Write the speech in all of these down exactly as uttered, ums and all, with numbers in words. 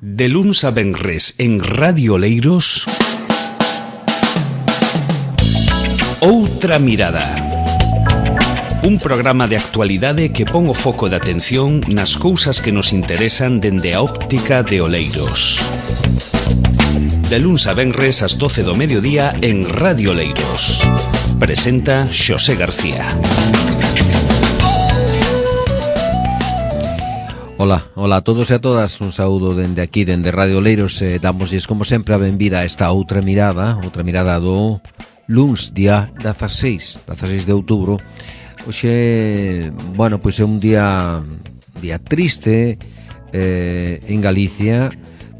De luns a venres en Radio Oleiros, Outra Mirada. Un programa de actualidade que pon o foco de atención nas cousas que nos interesan dende a óptica de Oleiros. De luns a venres ás doce do mediodía en Radio Oleiros. Presenta Xosé García. Ola, ola a todos e a todas, un saúdo dende aquí, dende Radio Oleiros, e damosles como sempre a benvida a esta outra mirada, outra mirada do luns, día dezaseis, dezaseis de outubro. Hoxe, bueno, pois é un día día triste eh, en Galicia,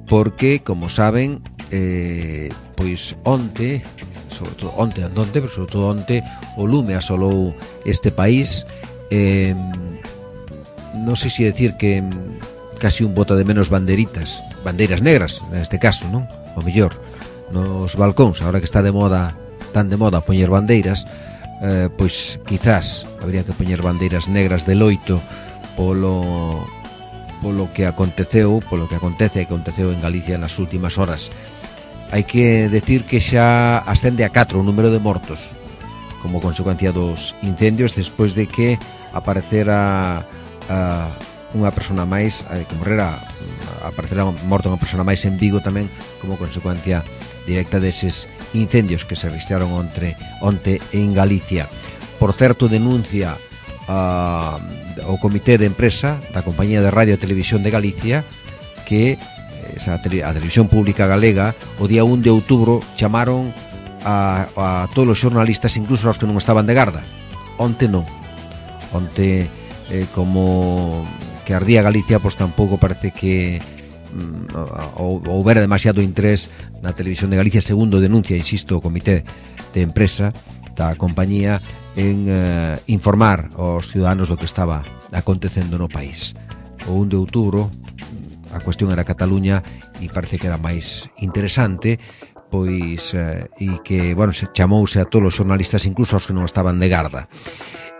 porque, como saben, eh, pois onte, sobre todo onte andonte, pero sobre todo onte, o lume asolou este país. eh, non sei se decir que casi un bota de menos banderitas, bandeiras negras neste caso, non? O mellor nos balcóns, agora que está de moda, tan de moda poñer bandeiras, eh, pois quizás habría que poñer bandeiras negras de loito polo polo que aconteceu, polo que acontece e que aconteceu en Galicia nas últimas horas. Hai que decir que xa ascende a catro o número de mortos como consecuencia dos incendios, despois de que aparecera a unha persona máis, que morrera, aparecerá morta unha persona máis en Vigo tamén como consecuencia directa deses incendios que se registraron onte, onte en Galicia. Por certo, denuncia uh, o Comité de Empresa da Compañía de Radio e Televisión de Galicia que esa, a Televisión Pública Galega o día un de outubro chamaron a, a todos os xornalistas, incluso aos que non estaban de garda. Onte non. Onte Eh, como que ardía Galicia, pois tampouco parece que mm, houbera demasiado interés na Televisión de Galicia, segundo denuncia, insisto, o Comité de Empresa da compañía en eh, informar aos ciudadanos do que estaba acontecendo no país. O un de outubro a cuestión era Cataluña e parece que era máis interesante, pois eh, e que, bueno, se chamouse a todos os xornalistas, incluso aos que non estaban de garda.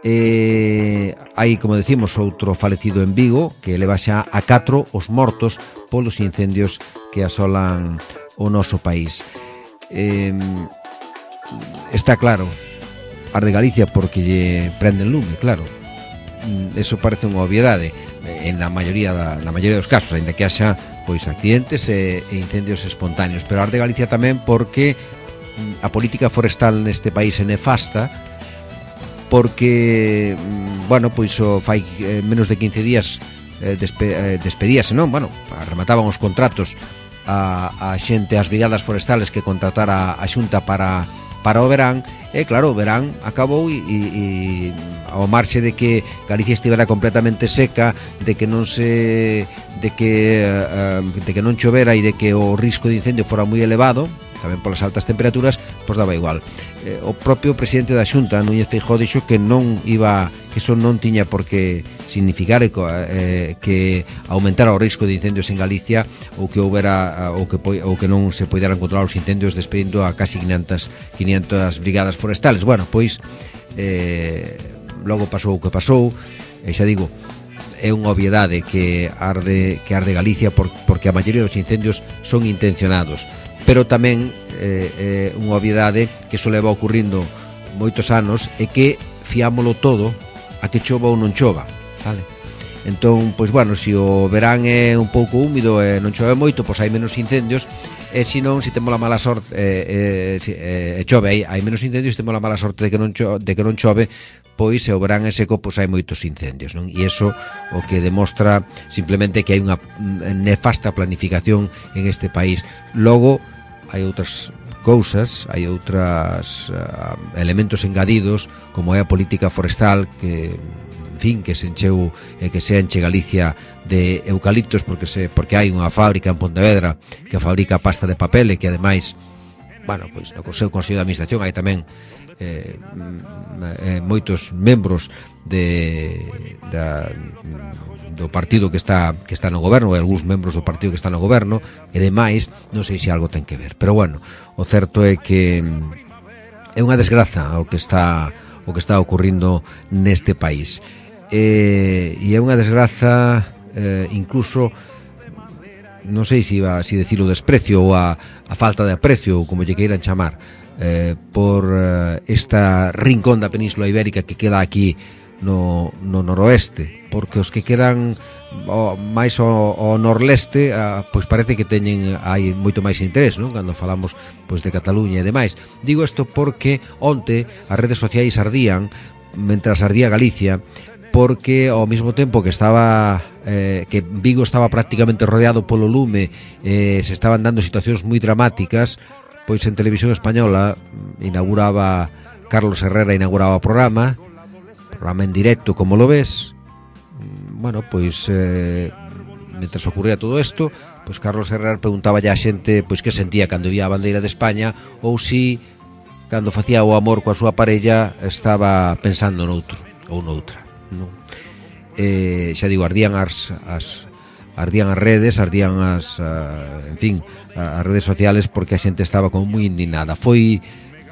Eh, hai, como decimos, outro falecido en Vigo, que leva xa a catro os mortos polos incendios que asolan o noso país. Eh, está claro, arde Galicia porque lle prende el lume, claro. Eso parece unha obviedade en a maioría da, na maioría dos casos, aínda que haxa pois accidentes e, e incendios espontáneos, pero arde Galicia tamén porque a política forestal neste país é nefasta, porque, bueno, pois o fai eh, menos de quince días eh, despe, eh, despedíase, non? Bueno, remataban os contratos a, a xente, as brigadas forestales que contratara a Xunta para, para o verán, e claro, o verán acabou e, e, e ao marxe de que Galicia estivera completamente seca, de que non se de que uh, de que non chovera e de que o risco de incendio fora moi elevado, tamén polas altas temperaturas, pois daba igual. Eh, o propio presidente da Xunta, Núñez Feijóo, dixo que non iba, que eso non tiña por que significar eh, que aumentara o risco de incendios en Galicia ou que houbera ou que ou que non se poideran controlar os incendios despedindo a casi quinientas brigadas forestales. Bueno, pois eh, logo pasou o que pasou, e xa digo, é unha obviedade que arde que arde Galicia por, porque a maioría dos incendios son intencionados, pero tamén eh, é unha obviedade que iso leva ocurrindo moitos anos e que fiámolo todo a que chova ou non chova, vale? Entón, pois bueno, se o verán é un pouco húmido e non chove moito, pois hai menos incendios, e se non, se temos a mala sorte e eh, eh, eh, chove, hai, hai menos incendios, se temos a mala sorte de que non chove, de que non chove, pois se o verán é seco, pois hai moitos incendios, non? E iso o que demostra simplemente que hai unha nefasta planificación en este país. Logo, hai outras cousas, hai outras uh, elementos engadidos, como é a política forestal que, en fin, que se encheu e que se enche Galicia de eucaliptos porque se porque hai unha fábrica en Pontevedra que fabrica pasta de papel e que ademais, bueno, pois no seu Consello de Administración hai tamén eh, eh, moitos membros de da, do partido que está que está no goberno, e algúns membros do partido que está no goberno, e demais, non sei se algo ten que ver, pero bueno, o certo é que é unha desgraza o que está o que está ocurrindo neste país. E, e é unha desgraza eh, incluso non sei se iba si decir o desprecio ou a, a falta de aprecio, ou como lle queiran chamar, eh, por eh, esta rincón da Península Ibérica que queda aquí no, no noroeste, porque os que quedan o, máis ao, ao norleste, a, pois parece que teñen hai moito máis interés, non? Cando falamos pois de Cataluña e demais. Digo isto porque onte as redes sociais ardían, mentras ardía Galicia, porque ao mesmo tempo que estaba eh, que Vigo estaba prácticamente rodeado polo lume, eh, se estaban dando situacións moi dramáticas, pois en Televisión Española inauguraba Carlos Herrera inauguraba o programa programa en directo, como lo ves. Bueno, pois eh, mentras ocurría todo isto, pois Carlos Herrera preguntaba a xente pois que sentía cando vía a bandeira de España, ou si cando facía o amor coa súa parella estaba pensando noutro ou noutra, non? Eh, xa digo, ardían as, as ardían as redes, ardían as uh, en fin, as redes sociales, porque a xente estaba como moi indignada. Foi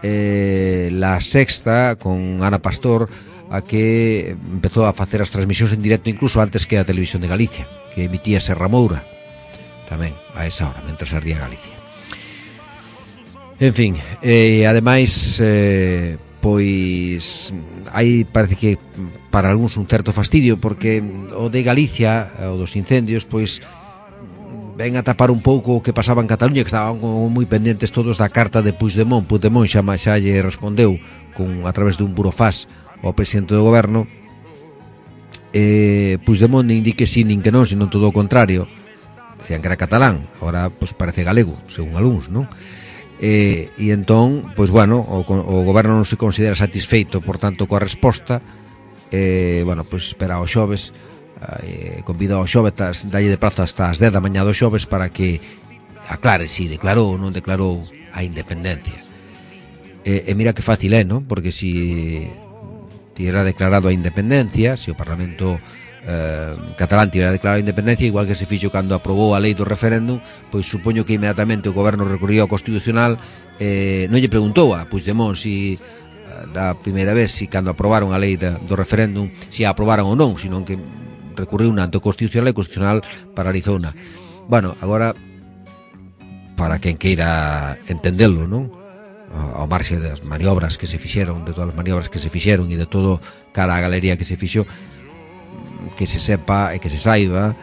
eh, La Sexta con Ana Pastor a que empezou a facer as transmisións en directo incluso antes que a Televisión de Galicia, que emitía Serra Moura tamén a esa hora, mentras ardía Galicia. En fin, e eh, ademais eh, pois aí parece que para algúns un certo fastidio, porque o de Galicia, o dos incendios, pois ven a tapar un pouco o que pasaba en Cataluña, que estaban moi pendentes todos da carta de Puigdemont. Puigdemont xa, xa lle respondeu con, a través dun burofax ao presidente do goberno. eh, Puigdemont nin di que sí nin que non, sino todo o contrario. Decían que era catalán, agora pois parece galego, según algúns, non? Eh, e entón, pois bueno, o, o goberno non se considera satisfeito, por tanto, coa resposta. Eh, bueno, pois espera o xoves, eh, convido ao xoves, dalle de prazo hasta as dez da mañá do xoves para que aclare se si declarou ou non declarou a independencia. E, e mira que fácil é, non? Porque se si tivera declarado a independencia, se si o Parlamento eh, catalán tivera declarado a independencia, igual que se fixo cando aprobou a lei do referéndum, pois supoño que inmediatamente o goberno recurriu ao Constitucional, eh, non lle preguntou a Puigdemont si da primeira vez, si cando aprobaron a lei da, do referéndum, si a aprobaron ou non, sino que recurriu na ante o Constitucional e o Constitucional paralizouna. Bueno, agora, para quen queira entendelo, non? Ao marxe das maniobras que se fixeron, de todas as maniobras que se fixeron e de todo cara a galería que se fixo, que se sepa e que se saiba,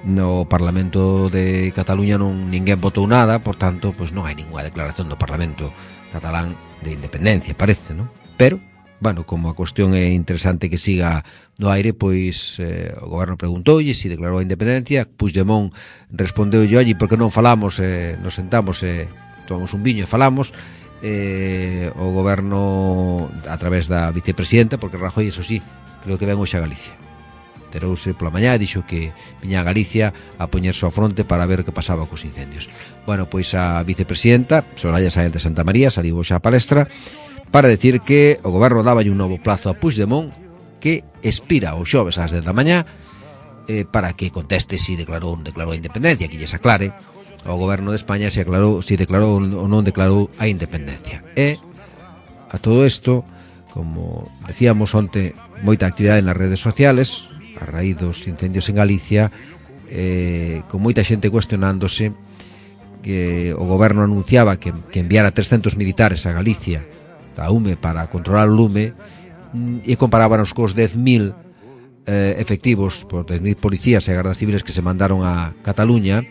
no Parlamento de Cataluña non ninguén votou nada, por tanto, pois non hai ninguna declaración do Parlamento catalán de independencia, parece, non? Pero, bueno, como a cuestión é interesante que siga no aire, pois eh, o goberno preguntoulle se si declarou a independencia. Puigdemont respondeu yo allí, porque non falamos, eh, nos sentamos e eh, tomamos un viño e falamos. Eh, o goberno a través da vicepresidenta, porque Rajoy, eso sí, creo que ven hoxe a Galicia, terouse pola mañá e dixo que viña a Galicia a poñerse ao fronte para ver o que pasaba cos incendios. Bueno, pois a vicepresidenta Soraya Sáenz de Santa María saliu xa a palestra para decir que o goberno daba un novo plazo a Puigdemont, que expira o xoves ás dez da mañá, eh, para que conteste se si declarou ou non declarou a independencia, que lles aclare ao goberno de España se aclarou, se si declarou ou non declarou a independencia. E a todo isto, como decíamos onte, moita actividade nas redes sociales a raíz dos incendios en Galicia, eh, con moita xente cuestionándose que o goberno anunciaba que, que enviara trescentos militares a Galicia da U M E para controlar o lume, e comparábanos cos dez mil eh, efectivos, por dez mil policías e gardas civiles que se mandaron a Cataluña.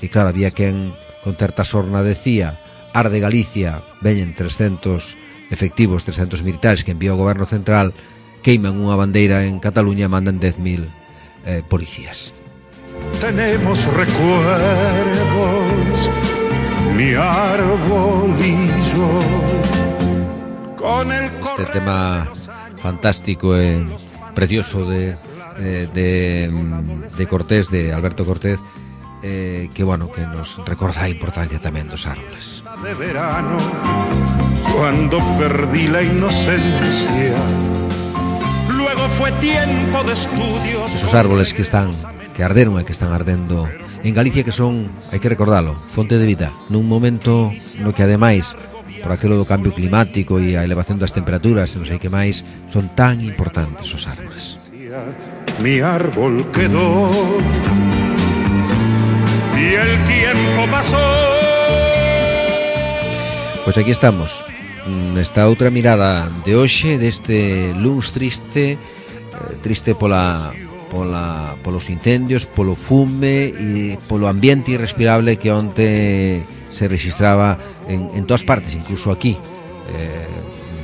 E claro, había quen con certa sorna decía: arde Galicia, veñen trescentos efectivos, trescentos militares que envía o goberno central, queiman unha bandeira en Cataluña e mandan dez mil eh, policías. Tenemos recuerdos, mi arbolillo, con el este tema fantástico e precioso de, de, de, de Cortés, de Alberto Cortés, eh, que bueno, que nos recorda a importancia tamén dos árboles. De verano, cuando perdí la inocencia, luego fue tiempo de estudios. Esos árboles que están, que arderon e que están ardendo en Galicia, que son, hai que recordalo, fonte de vida nun momento no que ademais, por aquilo do cambio climático e a elevación das temperaturas e non sei que máis, son tan importantes os árboles. Mi árbol quedó y el tiempo pasó. Pois aquí estamos, nesta outra mirada de hoxe, deste luns triste, eh, triste pola, pola, polos incendios, polo fume e polo ambiente irrespirable que onte se registraba en, en todas partes, incluso aquí, eh,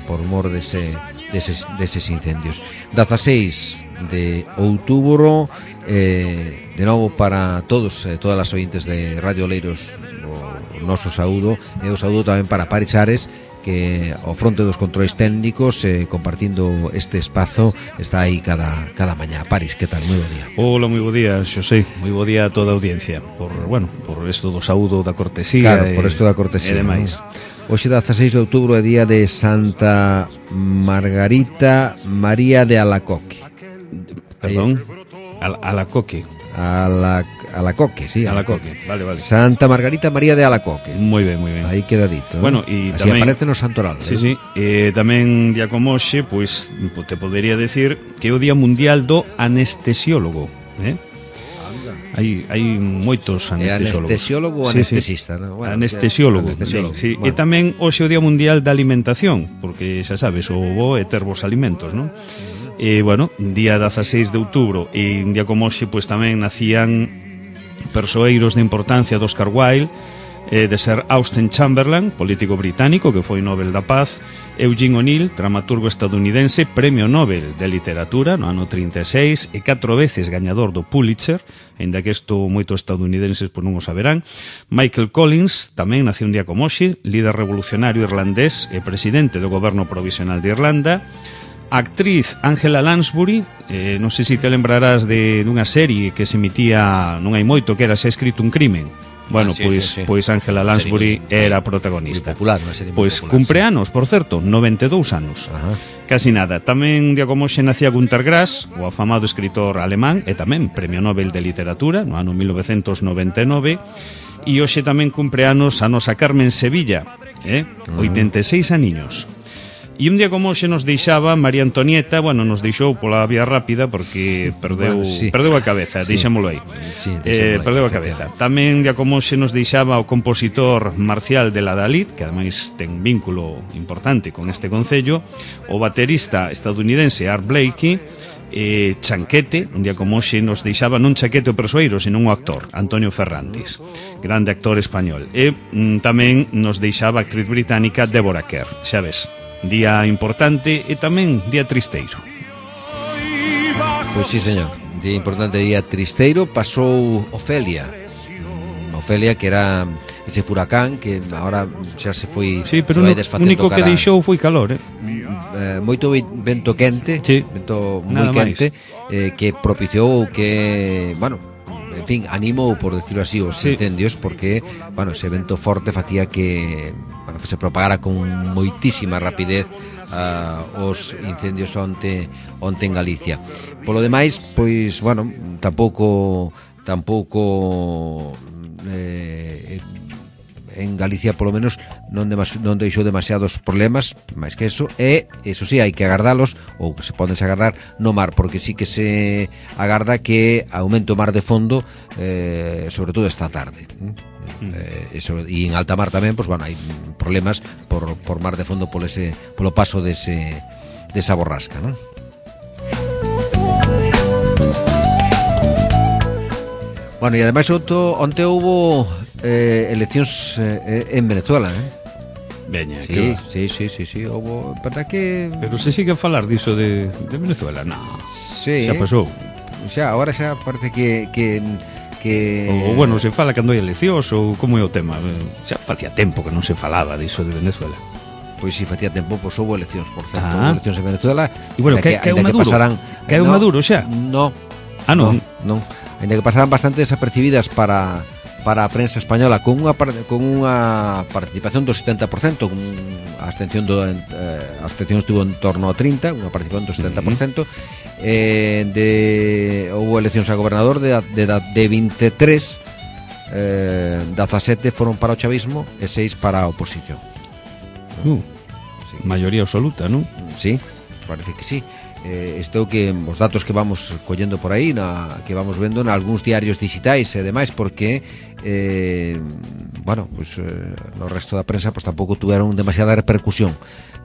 por mor dese, deses, deses incendios. dezaseis de outubro, eh, de novo para todos, eh, todas as ointes de Radio Oleiros, o noso saúdo, e o saúdo tamén para Paris Ares, que ao fronte dos controis técnicos, eh, compartindo este espazo, está aí cada, cada mañá. Paris, que tal? Moi bo día. Hola, moi bo día, Xosé. Moi bo día a toda a audiencia. Por, bueno, por isto do saúdo, da cortesía. Claro, e, por isto da cortesía. E demais. Hoxe, dezaseis de outubro, é día de Santa Margarita María de Alacoque. Perdón? Al, Alacoque. Ala, Alacoque, sí. Alacoque, vale, vale. Santa Margarita María de Alacoque. Moi ben, moi ben. Aí queda dito. Bueno, e así tamén aparece no santoral. Sí, eh? sí. E tamén día como hoxe, pois te podería decir que é o Día Mundial do Anestesiólogo, eh? Hai, hai moitos anestesiólogos. É anestesiólogo ou sí, anestesista, sí. ¿no? Bueno, Anestesiólogo, anestesiólogo. Sí, sí. Bueno. E tamén hoxe o Día Mundial da Alimentación, porque xa sabes, o bo é ter vos alimentos, non? E, bueno, día dezaseis de outubro, e un día como hoxe, pois tamén nacían persoeiros de importancia do Oscar Wilde, eh, de ser Austen Chamberlain, político británico que foi Nobel da Paz, Eugene O'Neill, dramaturgo estadounidense, Premio Nobel de Literatura no ano trinta e seis e catro veces gañador do Pulitzer, aínda que isto moitos estadounidenses por non o saberán. Michael Collins tamén nació un día como hoxe, líder revolucionario irlandés e presidente do goberno provisional de Irlanda. A actriz Angela Lansbury, eh, non sei se te lembrarás de dunha serie que se emitía non hai moito, que era Se ha escrito un crimen. Bueno, ah, sí, pois, sí, sí. pois Angela Lansbury muy, era a protagonista. Muy popular, unha serie moi Pois popular, cumpre sí. anos, por certo, noventa e dous anos. Ajá. Casi nada. Tamén un día como hoxe nacía Günter Grass, o afamado escritor alemán, e tamén Premio Nobel de Literatura no ano mil novecentos noventa e nove. E hoxe tamén cumpre anos a nosa Carmen Sevilla, eh? oitenta e seis aniños. E un día como hoxe nos deixaba María Antonieta, bueno, nos deixou pola vía rápida porque perdeu, bueno, sí. perdeu a cabeza, sí. deixámolo aí. Sí, eh, perdeu a cabeza. Tamén un día como hoxe nos deixaba o compositor Marcial de la Dalit, que ademais ten vínculo importante con este concello, o baterista estadounidense Art Blakey, eh, Chanquete, un día como hoxe nos deixaba non Chanquete o persoeiro, senón o actor Antonio Ferrantis, grande actor español. E mm, tamén nos deixaba a actriz británica Deborah Kerr, xa ves. Día importante e tamén día tristeiro. Pois sí, señor. Día importante, día tristeiro. Pasou Ofelia. Ofelia, que era ese furacán que agora xa se foi. Sí, pero o único que deixou foi calor, eh? eh moito vento quente, sí. vento moi quente, eh, que propiciou que, bueno, en fin, animou, por decirlo así, os sí. incendios, porque, bueno, ese vento forte facía que, bueno, que se propagara con moitísima rapidez uh, os incendios onte, onte en Galicia. Polo demais, pois, bueno, tampouco tampouco eh, en Galicia polo menos non, demas, non deixou demasiados problemas, máis que eso, e eso sí, hai que agardalos, ou que se podes agardar no mar, porque sí que se agarda que aumente o mar de fondo, eh, sobre todo esta tarde. Mm. Eh, eso, e en alta mar tamén, pues, bueno, hai problemas por, por mar de fondo polo, ese, polo paso dese, desa borrasca, non? Bueno, e ademais onte, onte houbo eh, eleccións eh, en Venezuela, eh? Veña, sí, que sí, sí, sí, sí, houbo, verdad que... Pero se sigue a falar diso de, de Venezuela, no. Sí. Xa pasou. Xa, agora xa parece que... que que... Ou, bueno, se fala cando hai eleccións ou como é o tema. Xa facía tempo que non se falaba diso de Venezuela. Pois si, facía tempo, pois houbo eleccións, por certo, ah. houbo eleccións en Venezuela. E bueno, que, que, que é o Maduro? Que, pasaran, eh, que é o no, Maduro xa? No. Ah, non? Non, non. Ainda que pasaran bastante desapercibidas para para a prensa española, con unha con unha participación do setenta por cento, con a abstención do eh, a abstención estuvo en torno a trinta, unha participación do setenta por cento. Uh-huh. Eh, de houve eleccións a gobernador de de, de veintitrés, eh, dezasete foron para o chavismo e seis para a oposición. Uh, sí. Maioría absoluta, non? Sí, parece que sí. eh, isto que os datos que vamos collendo por aí, na, que vamos vendo en algúns diarios digitais e demais, porque eh, bueno, pues, eh, no resto da prensa pues, tampouco tuveron demasiada repercusión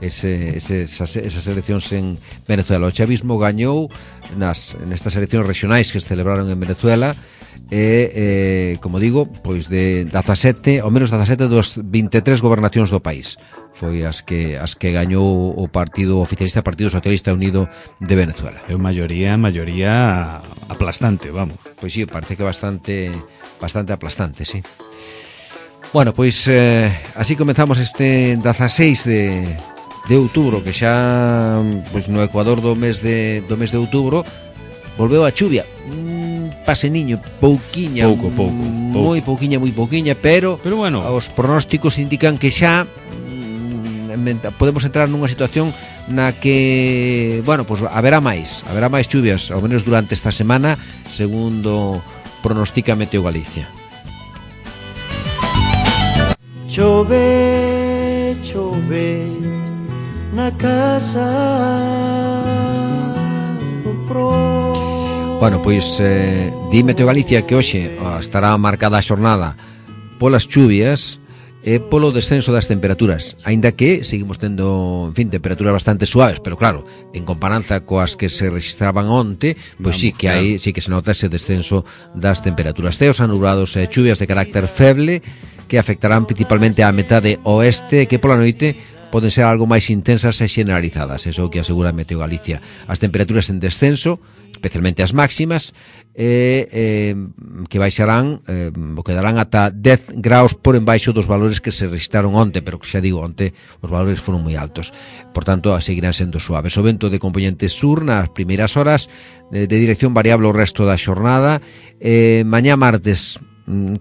ese, ese, esas, esas eleccións en Venezuela. O chavismo gañou nas, nestas eleccións regionais que se celebraron en Venezuela e, eh, como digo, pois de dezasete, ao menos dezasete dos vinte e tres gobernacións do país foi as que as que gañou o Partido Oficialista, Partido Socialista Unido de Venezuela. É unha maioría, maioría aplastante, vamos. Pois sí, parece que bastante bastante aplastante, sí. Bueno, pois eh, así comenzamos este dezaseis de de outubro, que xa pois no Ecuador do mes de do mes de outubro volveu a chuvia. Mm, paseniño, pouquiña, pouco, pouco, pouco. moi pouquiña, moi pouquiña, pero, pero bueno, os pronósticos indican que xa podemos entrar nunha situación na que, bueno, pues haberá máis, haberá máis chuvias, ao menos durante esta semana, segundo pronostica Meteo Galicia. Chove, chove na casa do pro. Bueno, pois eh, di Meteo Galicia que hoxe oh, estará marcada a xornada polas chuvias e polo descenso das temperaturas, aínda que seguimos tendo, en fin, temperaturas bastante suaves, pero claro, en comparanza coas que se registraban onte, pois sí que hai, sí que se nota ese descenso das temperaturas. Ceos anubrados e chuvias de carácter feble que afectarán principalmente á metade oeste, que pola noite poden ser algo máis intensas e generalizadas, eso que asegura Meteo Galicia. As temperaturas en descenso, especialmente as máximas, eh, eh, que baixarán, eh, o quedarán ata dez graus por embaixo dos valores que se registraron onte, pero que xa digo, onte os valores foron moi altos. Por tanto, seguirán sendo suaves. O vento de componente sur nas primeiras horas, de, de dirección variable o resto da xornada. Eh, mañá martes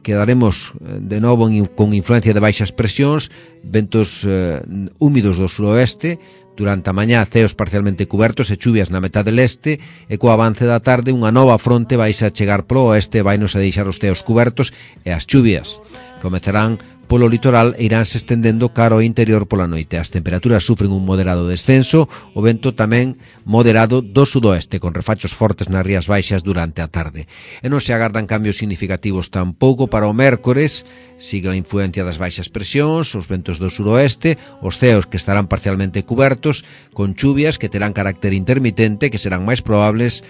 quedaremos de novo con influencia de baixas presións, ventos eh, húmidos do suroeste, durante a mañá ceos parcialmente cubertos e chuvias na metade leste, e co avance da tarde unha nova fronte vai a chegar polo oeste, vai nos a deixar os ceos cubertos e as chuvias comezarán polo litoral e iránse estendendo cara ao interior pola noite. As temperaturas sufren un moderado descenso, o vento tamén moderado do sudoeste, con refachos fortes nas rías baixas durante a tarde. E non se agardan cambios significativos tampouco para o mércores, sigue a influencia das baixas presións, os ventos do suroeste, os ceos que estarán parcialmente cubertos, con chuvias que terán carácter intermitente, que serán máis probables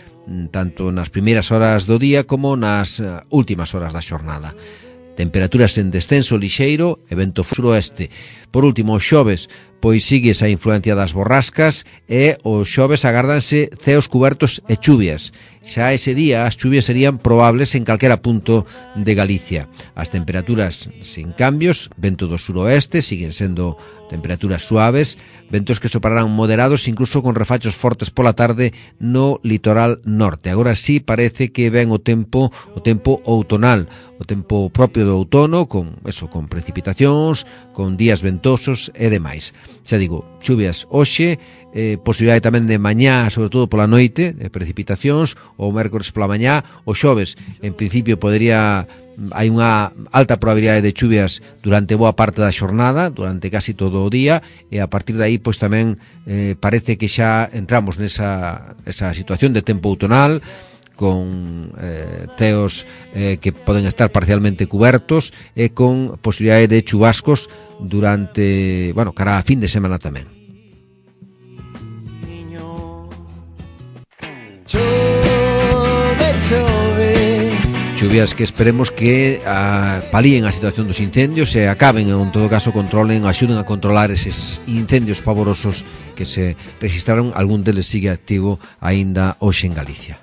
tanto nas primeiras horas do día como nas últimas horas da xornada. Temperaturas en descenso lixeiro e vento suroeste. Por último, os xoves, pois sigue esa influencia das borrascas e os xoves agárdanse ceos cubertos e chuvias. Xa ese día as chuvias serían probables en calquera punto de Galicia. As temperaturas sin cambios, vento do suroeste, siguen sendo temperaturas suaves, ventos que soprarán moderados incluso con refachos fortes pola tarde no litoral norte. Agora sí parece que ven o tempo, o tempo outonal, o tempo propio do outono, con eso, con precipitacións, con días ventosos e demais. Xa digo, chuvias hoxe, eh, posibilidade tamén de mañá, sobre todo pola noite, de precipitacións, ou mércores pola mañá, o xoves, en principio, podería, hai unha alta probabilidade de chuvias durante boa parte da xornada, durante casi todo o día, e a partir de aí, pois tamén eh, parece que xa entramos nesa esa situación de tempo outonal, con eh, ceos eh, que poden estar parcialmente cubertos e con posibilidade de chubascos durante, bueno, cara a fin de semana tamén. Chove, chove. Chuvias que esperemos que a, palíen a situación dos incendios e acaben, en todo caso, controlen, axuden a controlar eses incendios pavorosos que se registraron. Algún deles sigue activo aínda hoxe en Galicia.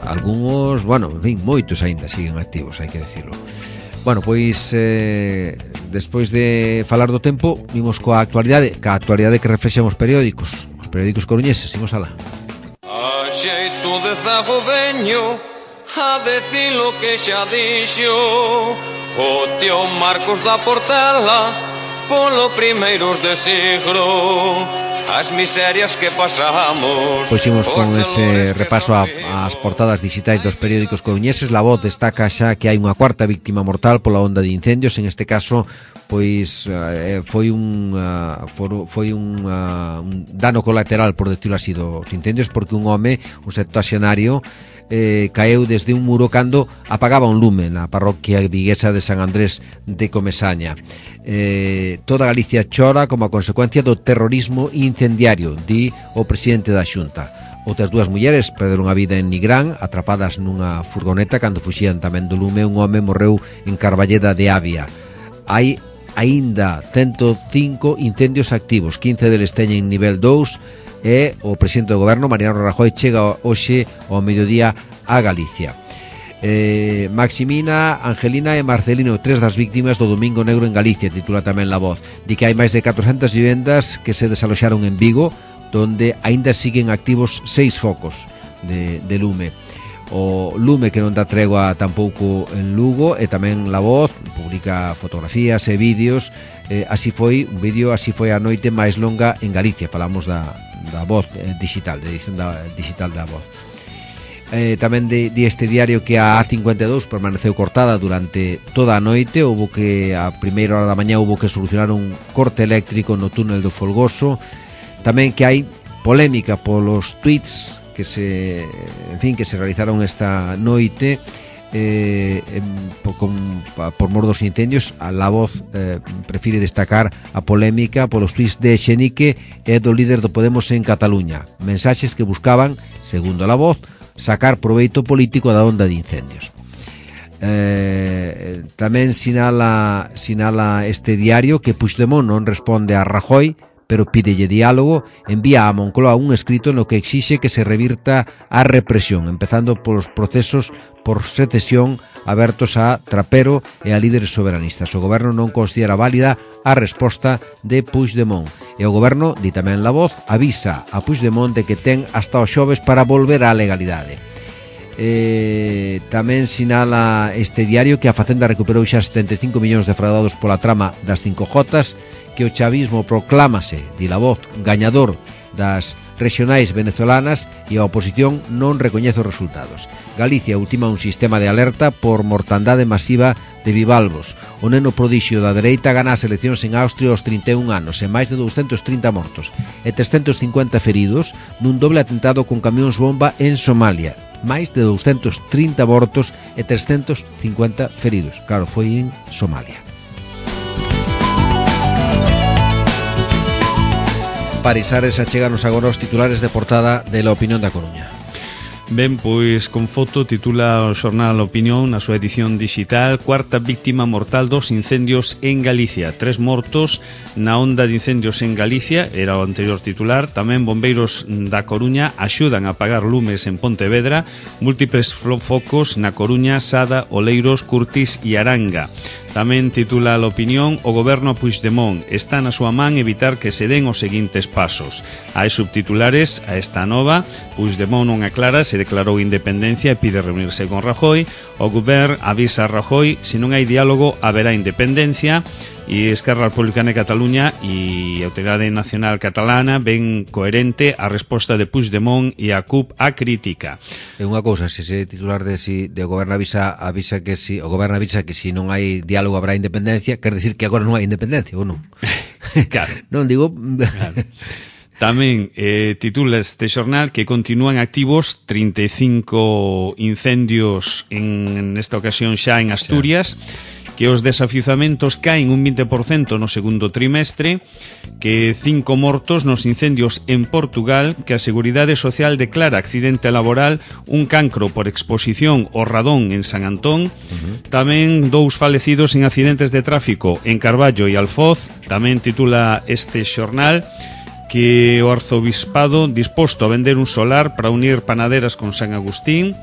Algunos, bueno, en fin, moitos aínda siguen activos, hai que decirlo. Bueno, pois eh, despois de falar do tempo, vimos coa actualidade, ca actualidade que reflexan os periódicos, os periódicos coruñeses, imos alá. A xeito de zago veño a decir lo que xa dixo o tío Marcos da Portela polo primeiros de siglo. as miserias que pasamos. Pois imos con ese repaso a, ás portadas digitais dos periódicos coruñeses. La Voz destaca xa que hai unha cuarta víctima mortal pola onda de incendios. En este caso, pois eh, foi un uh, for, foi un, uh, un dano colateral, por decirlo así, dos incendios, porque un home, un septuaxenario, Eh, caeu desde un muro cando apagaba un lume na parroquia viguesa de San Andrés de Comesaña. Eh, toda Galicia chora como a consecuencia do terrorismo incendiario, di o presidente da Xunta. Outras dúas mulleres perderon a vida en Nigrán, atrapadas nunha furgoneta cando fuxían tamén do lume. Un home morreu en Carballeda de Avia. Hai aínda ciento cinco incendios activos, quince deles teñen nivel dous, e o presidente do goberno, Mariano Rajoy, chega hoxe ao mediodía a Galicia. eh, Maximina, Angelina e Marcelino, tres das víctimas do Domingo Negro en Galicia, titula tamén La Voz. Di que hai máis de catrocentas vivendas que se desaloxaron en Vigo, donde aínda siguen activos seis focos de, de lume. O lume que non dá tregua tampouco en Lugo, e tamén La Voz publica fotografías e vídeos. eh, Así foi, un vídeo, así foi a noite máis longa en Galicia. Falamos da da Voz eh, digital, de edición da, digital da Voz. Eh, tamén de, de este diario que a A cincuenta e dous permaneceu cortada durante toda a noite. Houbo que, a primeira hora da mañá, houbo que solucionar un corte eléctrico no túnel do Folgoso. Tamén que hai polémica polos tweets que se, en fin, que se realizaron esta noite. Eh, por, con, por mor dos incendios. A La Voz eh, prefire destacar a polémica polos tweets de Xenique e do líder do Podemos en Cataluña, mensaxes que buscaban, segundo La Voz, sacar proveito político da onda de incendios. Eh, tamén sinala, sinala este diario que Puigdemont non responde a Rajoy, pero pídelle diálogo. Envía a Moncloa un escrito no que exixe que se revirta a represión, empezando polos procesos por secesión abertos a Trapero e a líderes soberanistas. O goberno non considera válida a resposta de Puigdemont, e o goberno, di tamén La Voz, avisa a Puigdemont de que ten hasta o xoves para volver á legalidade. Eh, tamén sinala este diario que a Facenda recuperou xa setenta e cinco millóns defraudados pola trama das cinco jotas, que o chavismo proclámase, di La Voz, gañador das regionais venezolanas, e a oposición non recoñece os resultados. Galicia ultima un sistema de alerta por mortandade masiva de bivalvos. O neno prodixio da dereita gana as eleccións en Austria aos trinta e un anos, e máis de douscentos trinta mortos e trescentos cincuenta feridos nun doble atentado con camións bomba en Somalia. Máis de douscentos trinta mortos e trescentos cincuenta feridos. Claro, foi en Somalia. Parisares, acheganos agora os titulares de portada de La Opinión da Coruña. Ben, pois con foto titula o xornal Opinión na súa edición digital: cuarta víctima mortal dos incendios en Galicia. Tres mortos na onda de incendios en Galicia, era o anterior titular. Tamén bombeiros da Coruña axudan a apagar lumes en Pontevedra. Múltiples focos na Coruña, Sada, Oleiros, Curtis e Aranga. Tamén titula a Opinión: o goberno a Puigdemont está na súa man evitar que se den os seguintes pasos. Hai subtitulares a esta nova: Puigdemont non aclara se declarou independencia e pide reunirse con Rajoy. O goberno avisa a Rajoy: se non hai diálogo haberá independencia. E Esquerra Republicana de Cataluña e a Autoridade Nacional Catalana ven coherente a resposta de Puigdemont e a C U P a crítica. É unha cousa, se ese titular de si de o goberno avisa avisa que si o goberno avisa que si non hai diálogo habrá independencia, quer decir que agora non hai independencia, ou non? Claro. Non digo. Claro. Tamén eh, titula este xornal que continúan activos trinta e cinco incendios en, en esta ocasión xa en Asturias. Sí. Que os desafiuzamentos caen un vinte por cento no segundo trimestre, que cinco mortos nos incendios en Portugal, que a Seguridade Social declara accidente laboral un cancro por exposición ao radón en San Antón. Uh-huh. Tamén dous falecidos en accidentes de tráfico en Carballo e Alfoz. Tamén titula este xornal que o arzobispado disposto a vender un solar para unir Panaderas con San Agustín,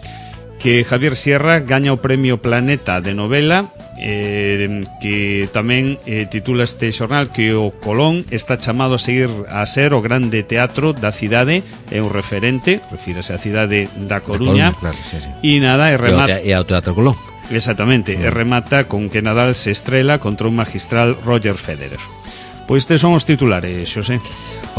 que Javier Sierra gaña o premio Planeta de novela, eh, que tamén eh, titula este xornal que o Colón está chamado a seguir a ser o grande teatro da cidade, é un referente, refírese á cidade da Coruña, Coruña, claro, sí, sí. E nada, e remata e ao Teatro Colón. Exactamente, mm. e remata con que Nadal se estrela contra un magistral Roger Federer. Pois tes son os titulares, Xosé.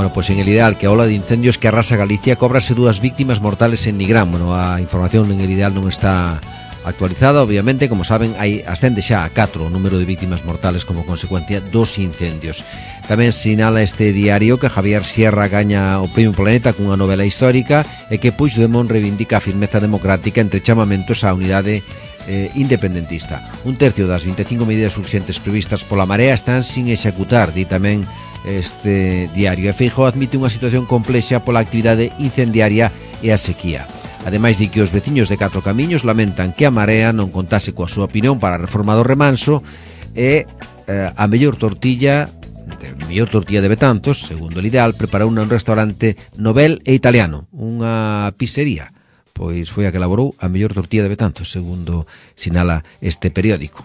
Bueno, pois en el ideal que a ola de incendios que arrasa Galicia cóbrase dúas víctimas mortales en Nigrán. Bueno, a información en el ideal non está actualizada, obviamente, como saben, hai ascende xa a catro o número de vítimas mortales como consecuencia dos incendios. Tamén sinala este diario que Javier Sierra gaña o Premio Planeta cunha novela histórica e que Puigdemont reivindica a firmeza democrática entre chamamentos á unidade eh, independentista. Un tercio das vinte e cinco medidas urxentes previstas pola Marea están sin executar, di tamén este diario. E Feijóo admite unha situación complexa pola actividade incendiaria e a sequía. Ademais de que os veciños de Catro Camiños lamentan que a Marea non contase coa súa opinión para a reforma do remanso e eh, a mellor tortilla de mellor tortilla de Betanzos, segundo o ideal, preparou un restaurante novel e italiano, unha pizzería, pois foi a que elaborou a mellor tortilla de Betanzos, segundo sinala este periódico.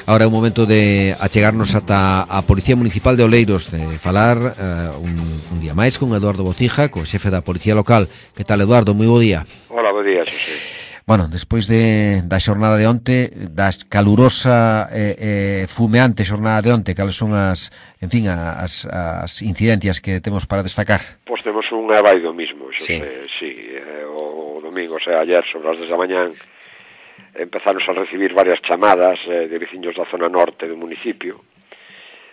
Ahora é o momento de achegarnos ata a Policía Municipal de Oleiros, de falar uh, un, un día máis con Eduardo Bocija, co xefe da Policía Local. Que tal, Eduardo? Moi bo día. Hola, bo día, Xosé. Bueno, despois de, da xornada de onte, da calurosa e eh, eh, fumeante xornada de onte, cales son as, en fin, as, as incidencias que temos para destacar? Pois temos unha vai do mismo, Xosé, sí, sí eh, o domingo, o sea, ayer, sobre as dez da mañán, empezaron a recibir varias chamadas eh, de veciños da zona norte do municipio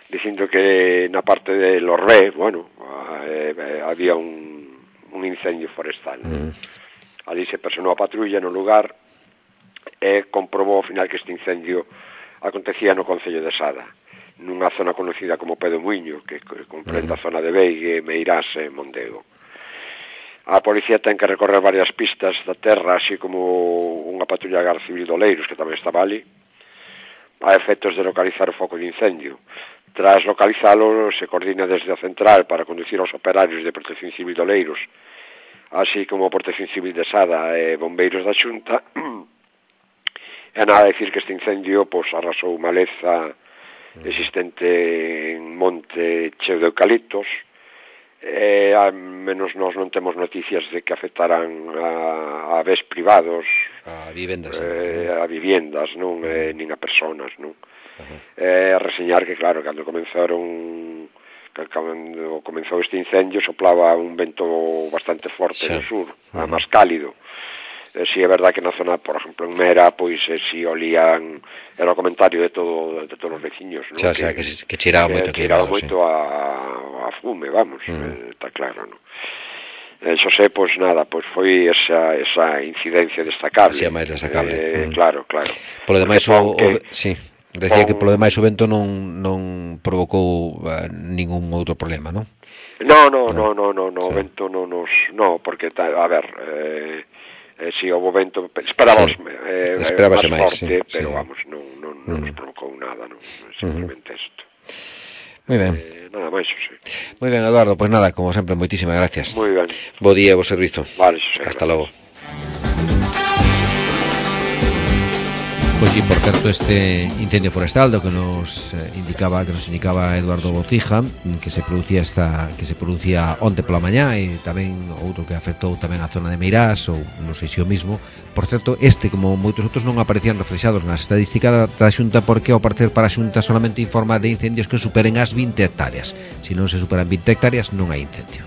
dicindo que na parte de Lorré, bueno, eh, eh, había un, un incendio forestal. Mm. Ali se personou a patrulla no lugar e comprobou ao final que este incendio acontecía no concello de Sada, nunha zona conocida como Pedo Muiño, que comprende mm. a zona de Beigue, Meirás e Mondego. A policía ten que recorrer varias pistas da terra, así como unha patrulla da Garda Civil de Oleiros, que tamén estaba ali, a efectos de localizar o foco de incendio. Tras localizalo, se coordina desde a central para conducir aos operarios de Protección Civil de Oleiros, así como a Protección Civil de Sada e bombeiros da Xunta. E nada a decir que este incendio pois, arrasou maleza existente en monte cheo de eucaliptos, e ao menos nós non temos noticias de que afectaran a, a bens privados, a vivendas, eh, a viviendas, non, eh, nin a personas, non. Uh-huh. Eh, a reseñar que, claro, cando comenzaron que cando comenzou este incendio soplaba un vento bastante forte sí. no sur, uh-huh. máis cálido. Eh, si é verdad que na zona, por exemplo, en Mera, pois eh, si olían, era o comentario de todo de todos os veciños, non? Xa, xa, que, que, que cheiraba moito, que cheiraba moito sí. a, a fume, vamos, uh-huh. eh, está claro, non? Eh, Xosé, pois nada, pois foi esa, esa incidencia destacable. Si, é máis destacable. Eh, uh-huh. Claro, claro. Polo demais, o, o, sí, decía que polo demais o vento non, non provocou uh, ningún outro problema, non? No, no, no, no, no, no, sí. O vento non nos... No, porque, ta, a ver... Eh, Eh, si houve vento, esperábamos sí. eh, máis forte, sí, pero sí. vamos, non, non, non uh-huh. nos provocou nada, non, simplemente uh-huh. isto. Moi ben. Eh, nada máis, sí. Moi ben, Eduardo, pois pues nada, como sempre, moitísimas gracias. Moi ben. Bo día, bo servizo. Vale, sí, hasta logo. Pois sí, por certo, este incendio forestal do que nos eh, indicaba que nos indicaba Eduardo Botija, que se producía esta que se producía onte pola mañá e tamén outro que afectou tamén a zona de Meirás ou non sei se o mismo. Por certo, este como moitos outros non aparecían reflexados na estadística da Xunta porque ao parecer para a Xunta solamente informa de incendios que superen as vinte hectáreas. Se non se superan vinte hectáreas non hai incendio.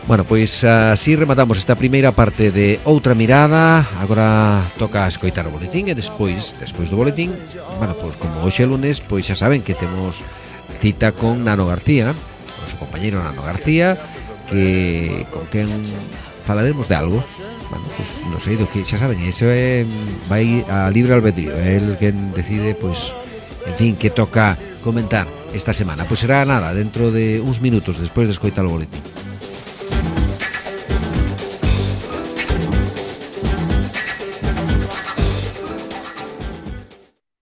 Bueno, pois así rematamos esta primeira parte de Outra Mirada. Agora toca escoitar o boletín e despois, despois do boletín, bueno, pois como hoxe é lunes, pois xa saben que temos cita con Nano García, con su compañeiro Nano García, que con quen falaremos de algo. Bueno, pois non sei do que, xa saben, iso é vai a libre albedrío, é el quen decide, pois, en fin, que toca comentar esta semana. Pois será nada, dentro de uns minutos despois de escoitar o boletín.